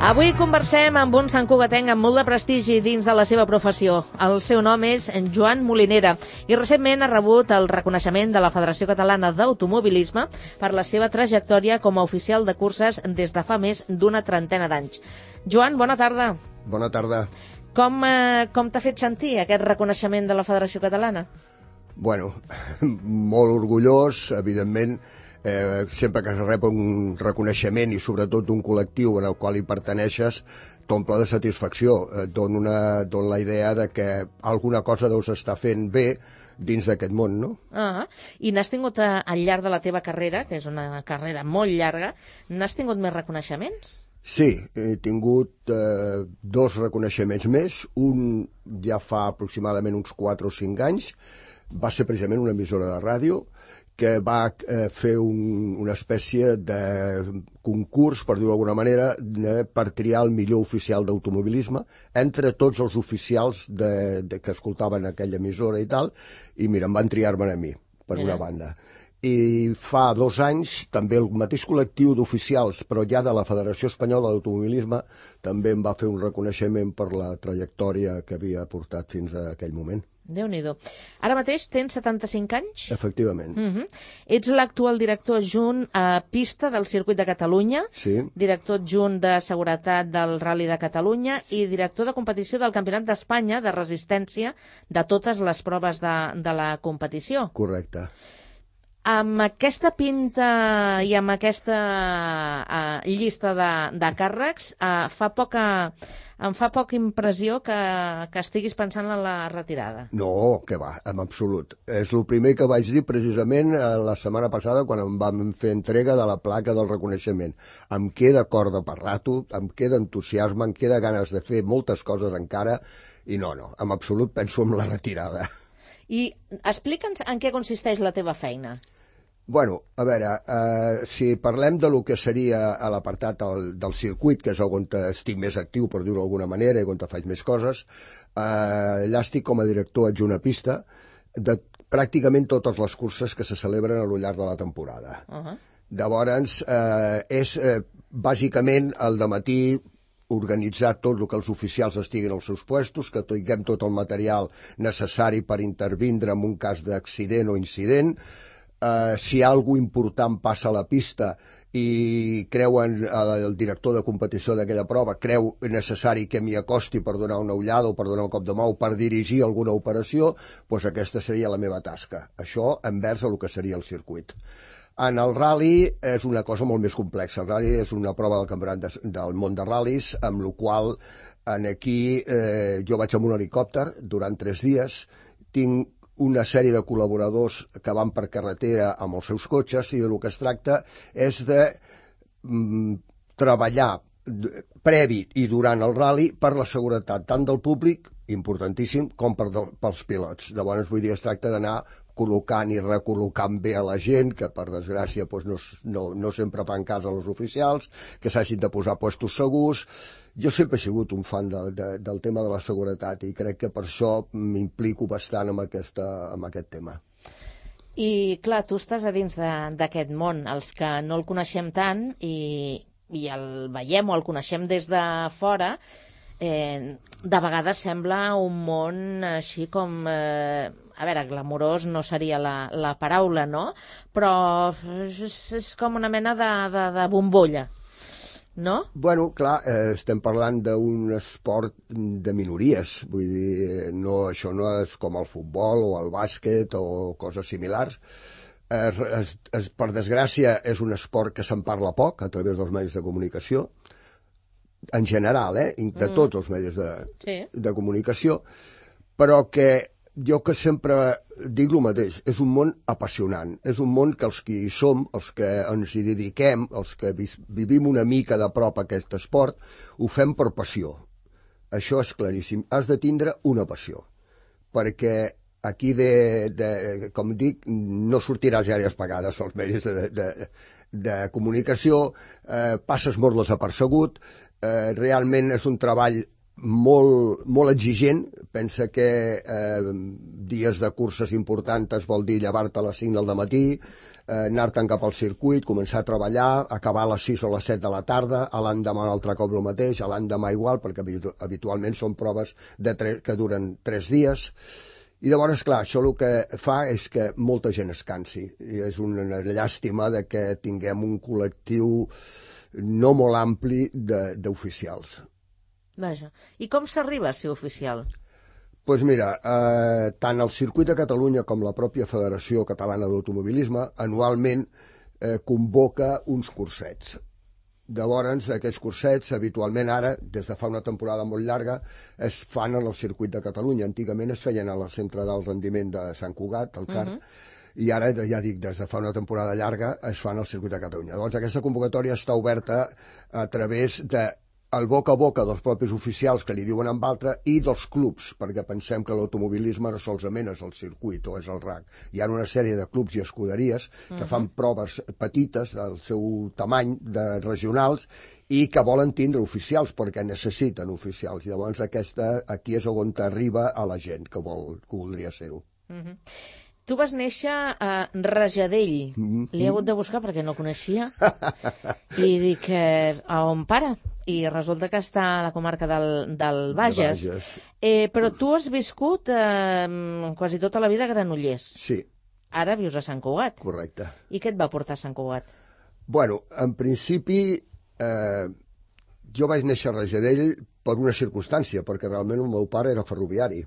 Avui conversem amb un santcugatenc amb molt de prestigi dins de la seva professió. El seu nom és Joan Molinera i recentment ha rebut el reconeixement de la Federació Catalana d'Automobilisme per la seva trajectòria com a oficial de curses des de fa més d'una trentena d'anys. Joan, bona tarda. Bona tarda. Com t'ha fet sentir aquest reconeixement de la Federació Catalana? Bueno, molt orgullós, evidentment. Sempre que es rep un reconeixement i sobretot un col·lectiu en el qual hi perteneixes t'omple de satisfacció, et dona la idea de que alguna cosa deus estar fent bé dins d'aquest món, no? I n'has tingut al llarg de la teva carrera, que és una carrera molt llarga, n'has tingut més reconeixements? Sí, he tingut 2 reconeixements més, un ja fa aproximadament uns 4 o 5 anys, va ser precisament una emissora de ràdio que va fer una espècie de concurs, per dir-ho d'alguna manera, per triar el millor oficial d'automobilisme entre tots els oficials que escoltaven aquella emissora i tal, i mira, em van triar-me a mi, per una banda. I fa 2 anys també el mateix col·lectiu d'oficials, però ja de la Federació Espanyola d'Automobilisme, també em va fer un reconeixement per la trajectòria que havia portat fins a aquell moment. Déu-n'hi-do. Ara mateix tens 75 anys? Efectivament. Ets l'actual director adjunt a pista del Circuit de Catalunya, sí. Director adjunt de seguretat del Rally de Catalunya i director de competició del Campionat d'Espanya de resistència de totes les proves de la competició. Correcte. Amb aquesta pinta i amb aquesta llista de càrrecs, em fa poca impressió que estiguis pensant en la retirada. No, que va, en absolut. És el primer que vaig dir precisament la setmana passada quan em vam fer entrega de la placa del reconeixement. Em queda corda per rato, em queda entusiasme, em queda ganes de fer moltes coses encara i no, en absolut penso en la retirada. I explica'ns en què consisteix la teva feina. Bueno, a veure, si parlem de lo que seria a l'apartat del circuit, que és on estic més actiu, per dir-ho d'alguna manera, i on faig més coses, allà estic com a director adjunt a pista de pràcticament totes les curses que se celebren a lo llarg de la temporada. Llavors, és bàsicament al dematí organitzar tot el que els oficials estiguin als seus puestos, que tinguem tot el material necessari per intervindre en un cas d'accident o incident. Si hi ha alguna important passa a la pista i creuen el director de competició d'aquella prova creu necessari que m'hi acosti per donar una ullada o per donar un cop de mà o per dirigir alguna operació, doncs aquesta seria la meva tasca. Això envers el que seria el circuit. En el rally és una cosa molt més complexa. El rally és una prova del campionat del món de ral·lis, amb la qual aquí jo vaig amb un helicòpter durant 3 dies, tinc una sèrie de col·laboradors que van per carretera amb els seus cotxes i del que es tracta és de treballar previ i durant el rally per la seguretat tant del públic, importantíssim, com pels pilots. Llavors, vull dir, es tracta d'anar col·locant i recol·locant bé a la gent, que per desgràcia no sempre fan cas als oficials, que s'hagin de posar puestos segurs. Jo sempre he sigut un fan del tema de la seguretat i crec que per això m'implico bastant amb aquest tema. I clar, tu estàs a dins d'aquest món, els que no el coneixem tant i el veiem o el coneixem des de fora, de vegades sembla un món així com, a veure, glamurós no seria la paraula, no? Però és com una mena de bombolla, no? Bueno, clar, estem parlant d'un esport de minories, vull dir, això no és com el futbol o el bàsquet o coses similars. Per desgràcia, és un esport que se'n parla poc a través dels medis de comunicació, en general, de tots els medis de comunicació, però que jo que sempre dic el mateix, és un món apassionant, és un món que els que hi som, els que ens hi dediquem, els que vivim una mica de prop aquest esport, ho fem per passió. Això és claríssim, has de tindre una passió, perquè aquí, com dic, no sortiràs gaires pagades als medis de comunicació, passes molt desapercebut, realment és un treball molt exigent. Pensa que dies de curses importants vol dir llevar-te a les 5 del matí, anar-te'n cap al circuit, començar a treballar, acabar a les 6 o les 7 de la tarda, a l'endemà un altre cop el mateix, a l'endemà igual, perquè habitualment són proves que duren 3 dies. I llavors, clar, això el que fa és que molta gent es cansi. I és una llàstima de que tinguem un col·lectiu no molt ampli d'oficials. Vaja. I com s'arriba a ser oficial? Doncs mira, tant el Circuit de Catalunya com la pròpia Federació Catalana d'Automobilisme anualment convoca uns cursets. Llavors, aquests cursets, habitualment ara, des de fa una temporada molt llarga, es fan en el Circuit de Catalunya. Antigament es feien al Centre d'Alt Rendiment de Sant Cugat, al CAR, i ara, ja dic, des de fa una temporada llarga es fan al Circuit de Catalunya. Llavors, aquesta convocatòria està oberta a través de el boca a boca dels propis oficials que li diuen amb altre i dels clubs, perquè pensem que l'automobilisme no solament és el circuit o és el RAC. Hi ha una sèrie de clubs i escuderies que fan proves petites del seu tamany, de regionals, i que volen tindre oficials perquè necessiten oficials. I llavors aquí és on arriba a la gent que voldria ser-ho. Tu vas néixer a Rajadell. L'he hagut de buscar perquè no coneixia. I dic, a on pare? I resulta que està a la comarca del Bages. Però tu has viscut quasi tota la vida a Granollers. Sí. Ara vius a Sant Cugat. Correcte. I què et va portar a Sant Cugat? Bueno, en principi, jo vaig néixer a Rajadell per una circumstància, perquè realment el meu pare era ferroviari.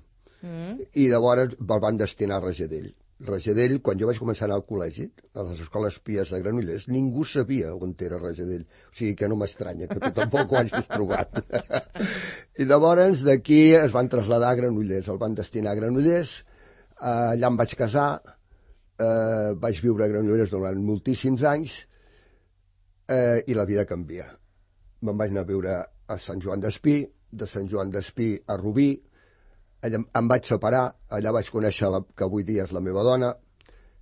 I llavors el van destinar a Rajadell. Rajadell, quan jo vaig començar a anar al col·legi, a les escoles pies de Granollers, ningú sabia on era Rajadell. O sigui que no m'estranya, que tu tampoc ho hagis trobat. I llavors d'aquí es van traslladar a Granollers, el van destinar a Granollers, allà em vaig casar, vaig viure a Granollers durant moltíssims anys i la vida canvia. Me'n vaig anar a viure a Sant Joan d'Espí, de Sant Joan d'Espí a Rubí, em vaig separar, allà vaig conèixer que avui dia és la meva dona,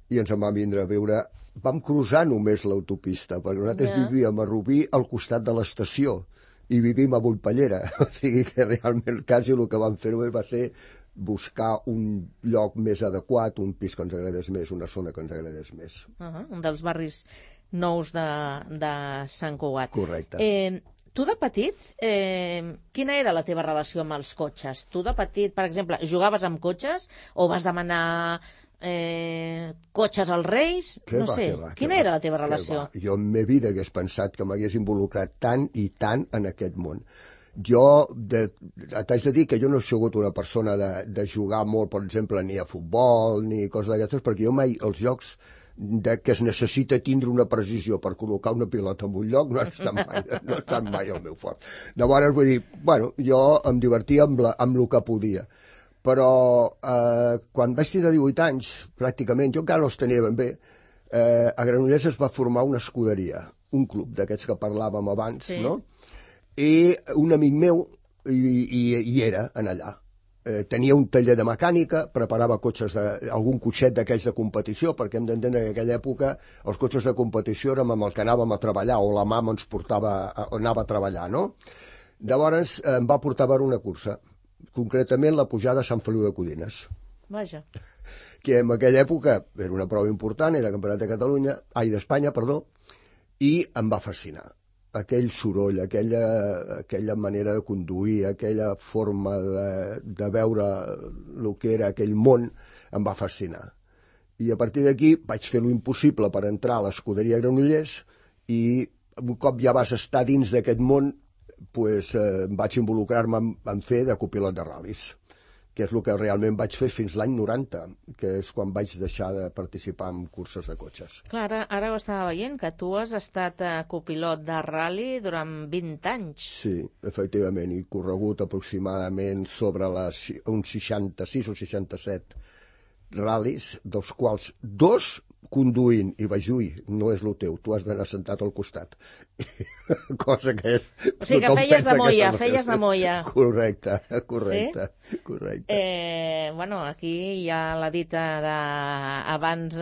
i ens en vam vindre a viure. Vam cruzar només l'autopista, perquè nosaltres vivíem a Rubí al costat de l'estació, i vivim a Bullpallera. O sigui que realment quasi el que vam fer només va ser buscar un lloc més adequat, un pis que ens agradés més, una zona que ens agradés més. Un dels barris nous de Sant Cugat. Correcte. Tu de petit, quina era la teva relació amb els cotxes? Tu de petit, per exemple, jugaves amb cotxes o vas demanar cotxes als Reis? No sé, quina era la teva relació? Jo en meva vida hagués pensat que m'hagués involucrat tant i tant en aquest món. Jo t'haig de dir que jo no he sigut una persona de jugar molt, per exemple, ni a futbol ni coses d'aquestes, perquè jo mai els jocs que es necessita tindre una precisió per col·locar una pilota en un lloc no ha estat mai el meu fort. Llavors, vull dir, bueno, jo em divertia amb el que podia. Però quan vaig tenir 18 anys, pràcticament, jo encara no els tenia ben bé, a Granollers es va formar una escuderia, un club d'aquests que parlàvem abans, no? I un amic meu hi era en allà. Tenia un taller de mecànica, preparava cotxes, algun cotxet d'aquells de competició, perquè hem d'entendre que en aquella època els cotxes de competició érem amb el que anàvem a treballar, o la mama ens anava a treballar, no? Llavors em va portar a veure una cursa, concretament la pujada a Sant Feliu de Codines. Vaja. Que en aquella època era una prova important, era Campionat d'Espanya, i em va fascinar. Aquell soroll, aquella manera de conduir, aquella forma de veure el que era aquell món, em va fascinar. I a partir d'aquí vaig fer l'impossible per entrar a l'escuderia Granollers i un cop ja vas estar dins d'aquest món, vaig involucrar-me en fer de copilot de ral·lis, que és el que realment vaig fer fins l'any 90, que és quan vaig deixar de participar en curses de cotxes. Clar, ara ho estava veient, que tu has estat copilot de ral·li durant 20 anys. Sí, efectivament, i corregut aproximadament sobre uns 66 o 67 ral·lis, dels quals 2 conduint, i vaig dir, no és el teu, tu has d'anar sentat al costat. Cosa que és... O sigui que feies de molla. Correcte. Sí? Correcte. Bueno, aquí hi ha la dita d'abans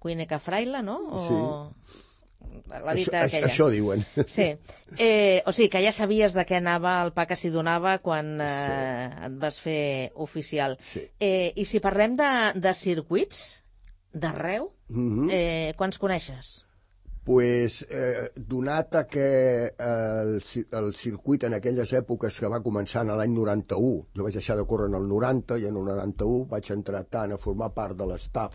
cuine que fraile, no? Sí. la dita aquella. Això diuen. Sí. O sigui, que ja sabies de què anava el pa que s'hi donava quan et vas fer oficial. Sí. I si parlem de circuits, d'arreu, quants coneixes? Pues, donat a que el circuit en aquelles èpoques que va començar en l'any 91, jo vaig deixar de córrer en el 90 i en el 91 vaig entrar tant a formar part de l'estaf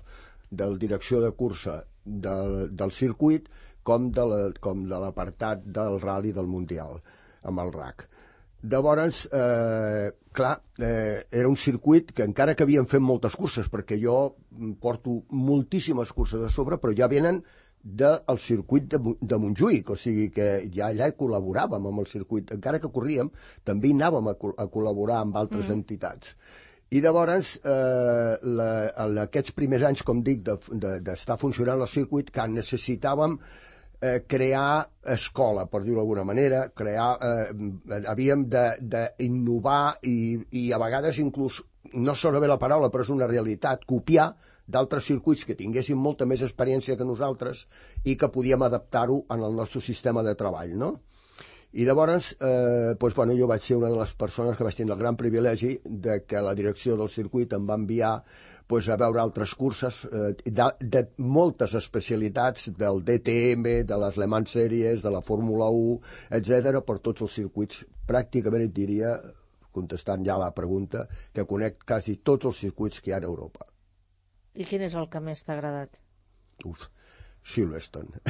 de la direcció de cursa del circuit com de l'apartat del rally del Mundial, amb el RAC. Llavors, clar, era un circuit que encara que havien fet moltes curses, perquè jo porto moltíssimes curses a sobre, però ja venen del circuit de Montjuïc, o sigui que ja allà col·laboràvem amb el circuit, encara que corríem, també hi anàvem a col·laborar amb altres entitats. I llavors, en aquests primers anys, com dic, d'estar funcionant el circuit, que necessitàvem crear escola, per dir-ho d'alguna manera, havíem d'innovar i a vegades inclús, no sona bé la paraula, però és una realitat, copiar d'altres circuits que tinguessin molta més experiència que nosaltres i que podíem adaptar-ho en el nostre sistema de treball, no? I llavors, jo vaig ser una de les persones que vaig tenir el gran privilegi de que la direcció del circuit em va enviar a veure altres curses de moltes especialitats, del DTM, de les Le Mans Series, de la Fórmula 1, etc., per tots els circuits. Pràcticament et diria, contestant ja la pregunta, que conec quasi tots els circuits que hi ha a Europa. I quin és el que més t'ha agradat? Silverstone.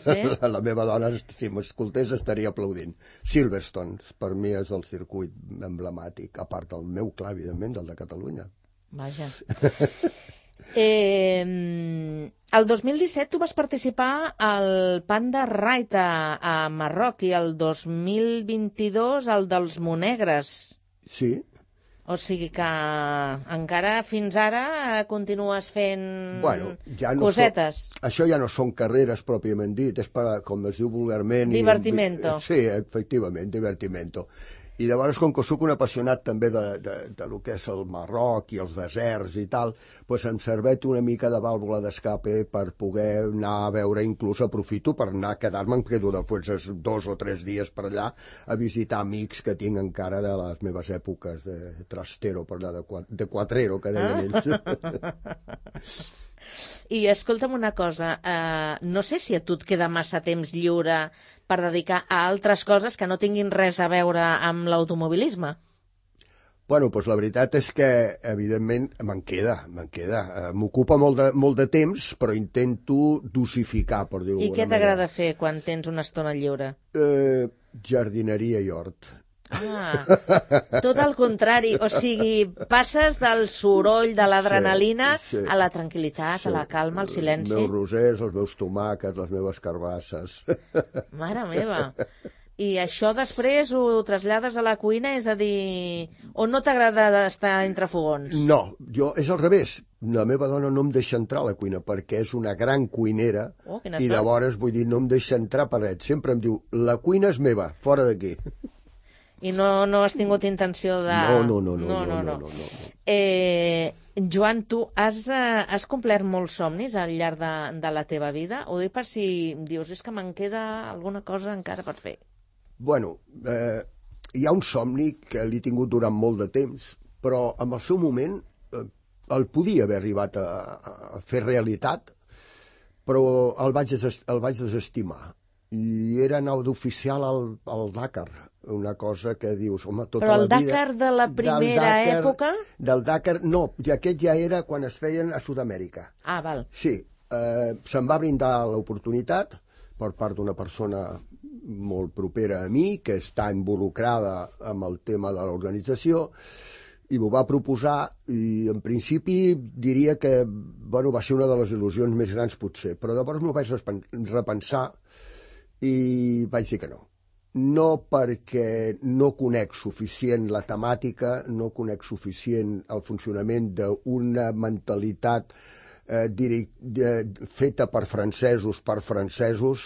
Sí? La meva dona, si m'escoltés, estaria aplaudint. Silverstone, per mi, és el circuit emblemàtic, a part del meu, clar, evidentment, del de Catalunya. Vaja. El 2017 tu vas participar al Panda Ride a Marroc i el 2022 al dels Monegres. Sí. O sigui que encara fins ara continues fent cosetes. Això ja no són carreres pròpiament dit, és per, com es diu vulgarment... Divertimento. Sí, efectivament, divertimento. I llavors, com que soc un apassionat també de lo que és el Marroc i els deserts i tal, doncs em serveix una mica de vàlvula d'escape per poder anar a veure, inclús aprofito per anar a quedar-me, em quedo després 2 o 3 dies per allà a visitar amics que tinc encara de les meves èpoques de trastero, per allà de quatrero, que deien ells. I escolta'm una cosa, no sé si a tu et queda massa temps lliure per dedicar a altres coses que no tinguin res a veure amb l'automobilisme. Bueno, doncs la veritat és que, evidentment, me'n queda. M'ocupa molt de temps, però intento dosificar, per dir-ho d'alguna manera. I què t'agrada fer quan tens una estona lliure? Jardineria i hort. Ah, tot el contrari, o sigui, passes del soroll, de l'adrenalina, a la tranquil·litat, a la calma, al silenci. Els meus rosers, els meus tomàquets, les meves carbasses. Mare meva. I això després ho trasllades a la cuina, és a dir, o no t'agrada estar entre fogons? No, és al revés. La meva dona no em deixa entrar a la cuina perquè és una gran cuinera i llavors, vull dir, no em deixa entrar per res. Sempre em diu, la cuina és meva, fora d'aquí. I no has tingut intenció de... No. Joan, tu has complert molts somnis al llarg de la teva vida? Ho dic per si dius, és que me'n queda alguna cosa encara per fer. Bueno, hi ha un somni que l'he tingut durant molt de temps, però en el seu moment el podia haver arribat a fer realitat, però el vaig desestimar. I era anar d'oficial al Dakar, una cosa que dius, home, tota la vida... Però el Dakar de la primera època? Del Dakar, no, i aquest ja era quan es feien a Sud-amèrica. Ah, val. Sí, se'm va brindar l'oportunitat per part d'una persona molt propera a mi, que està involucrada amb el tema de l'organització, i m'ho va proposar, i en principi diria que va ser una de les il·lusions més grans potser, però llavors m'ho vaig repensar i vaig dir que no. No perquè no conec suficient la temàtica, no conec suficient el funcionament d'una mentalitat feta per francesos,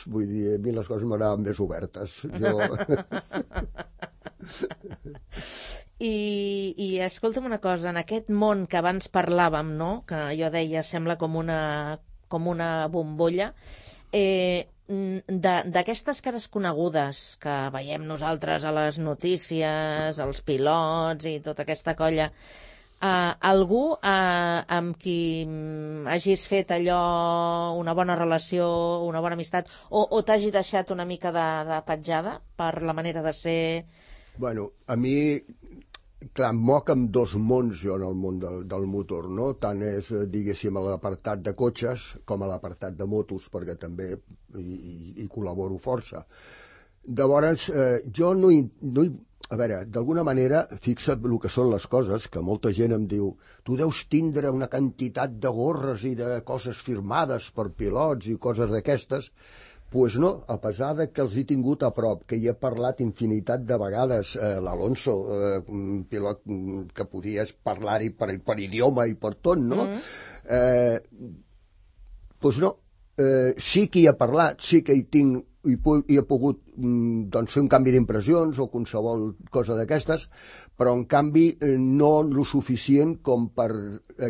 vull dir, a mi les coses m'agraven més obertes. I escolta'm una cosa, en aquest món que abans parlàvem, no?, que jo deia sembla com una bombolla, d'aquestes cares conegudes que veiem nosaltres a les notícies, els pilots i tota aquesta colla, algú amb qui hagis fet allò, una bona relació, una bona amistat, o t'hagi deixat una mica de petjada per la manera de ser? Bueno, a mi, clar, em moc amb dos mons jo en el món del motor, no? Tant és, diguéssim, a l'apartat de cotxes com a l'apartat de motos, perquè també hi col·laboro força. Llavors, jo no a veure, d'alguna manera, fixa't el que són les coses, que molta gent em diu tu deus tindre una quantitat de gorres i de coses firmades per pilots i coses d'aquestes. Doncs no, a pesar de que els he tingut a prop, que hi he parlat infinitat de vegades, l'Alonso, un pilot que podies parlar-hi per idioma i per tot, no? Doncs no, sí que hi he parlat, sí que hi tinc i he pogut fer un canvi d'impressions o qualsevol cosa d'aquestes, però en canvi no el suficient com per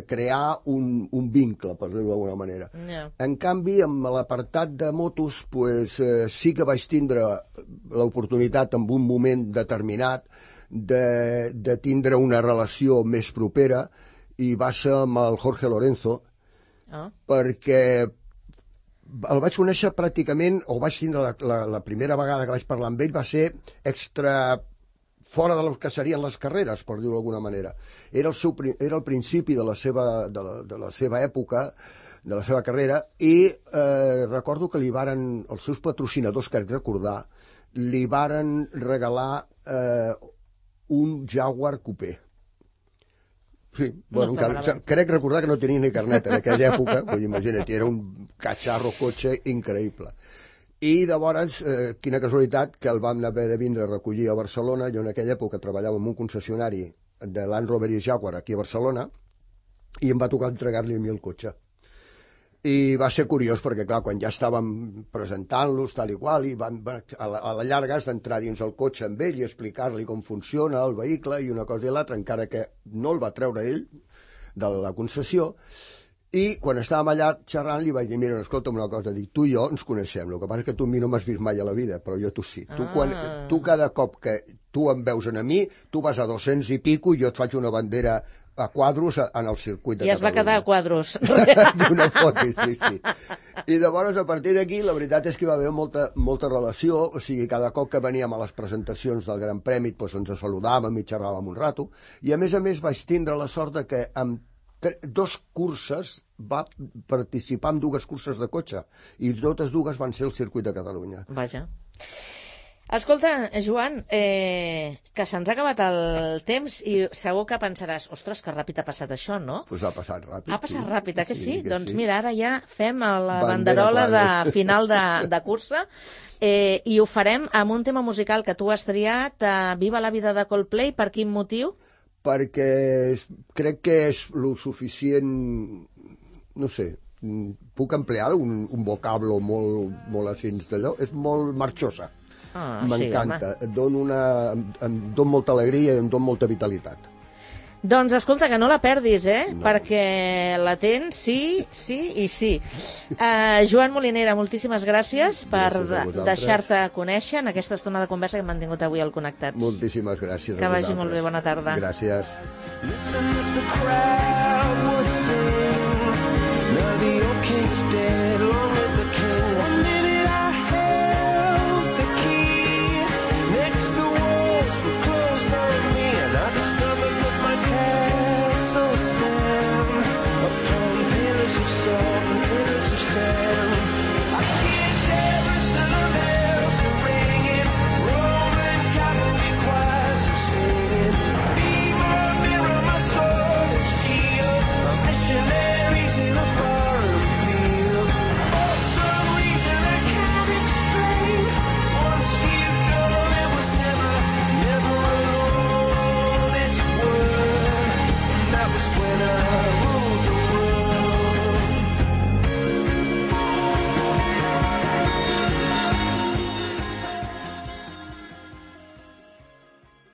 crear un vincle, per dir-ho d'alguna manera. En canvi, amb l'apartat de motos, sí que vaig tindre l'oportunitat en un moment determinat de tindre una relació més propera, i va ser amb el Jorge Lorenzo, perquè el vaig conèixer pràcticament, o vaig tindre la primera vegada que vaig parlar amb ell, va ser extra fora del que serien les carreres, per dir-ho d'alguna manera. Era el principi de la seva època, de la seva carrera, i recordo que els seus patrocinadors, que recordar, li varen regalar un Jaguar Coupé. Sí, bueno, crec recordar que no tenia ni carnet en aquella època, vull dir, imagina't, era un cacharro cotxe increïble. I llavors, quina casualitat, que el vam haver de vindre a recollir a Barcelona. Jo en aquella època treballava en un concessionari de Land Rover i Jaguar aquí a Barcelona, i em va tocar entregar-li a mi el cotxe. I va ser curiós perquè, clar, quan ja estàvem presentant-los tal i qual, i a la llarga has d'entrar dins el cotxe amb ell i explicar-li com funciona el vehicle i una cosa i l'altra, encara que no el va treure ell de la concessió. I quan estàvem allà xerrant li vaig dir, mira, escolta'm una cosa, dic, tu i jo ens coneixem, el que passa és que tu a mi no m'has vist mai a la vida, però jo tu sí. Tu cada cop que tu em veus a mi, tu vas a 200 i pico i jo et faig una bandera a quadros en el circuit de Catalunya. I es va quedar a quadros. Una foto, sí. I llavors, a partir d'aquí, la veritat és que hi va haver molta relació, o sigui, cada cop que veníem a les presentacions del Gran Premi, doncs ens saludàvem i xerràvem un rato, i a més vaig tindre la sort de que amb 2 curses va participar en 2 curses de cotxe, i totes 2 van ser el circuit de Catalunya. Vaja. Escolta, Joan, que se'ns ha acabat el temps i segur que pensaràs, ostres, que ràpid ha passat això, no? Doncs ha passat ràpid. Ha passat ràpid, que sí? Doncs mira, ara ja fem la banderola de final de cursa, i ho farem amb un tema musical que tu has triat, Viva la vida de Coldplay. Per quin motiu? Perquè crec que és lo suficient, no sé, puc emplear un vocablo molt així d'allò, és molt marxosa. M'encanta, em dona molta alegria i em dona molta vitalitat. Doncs escolta, que no la perdis, perquè la tens, sí i sí. Joan Molinera, moltíssimes gràcies per deixar-te conèixer en aquesta estona de conversa que hem mantingut avui al Connectats. Moltíssimes gràcies. Que vagi molt bé, bona tarda. Gràcies. When I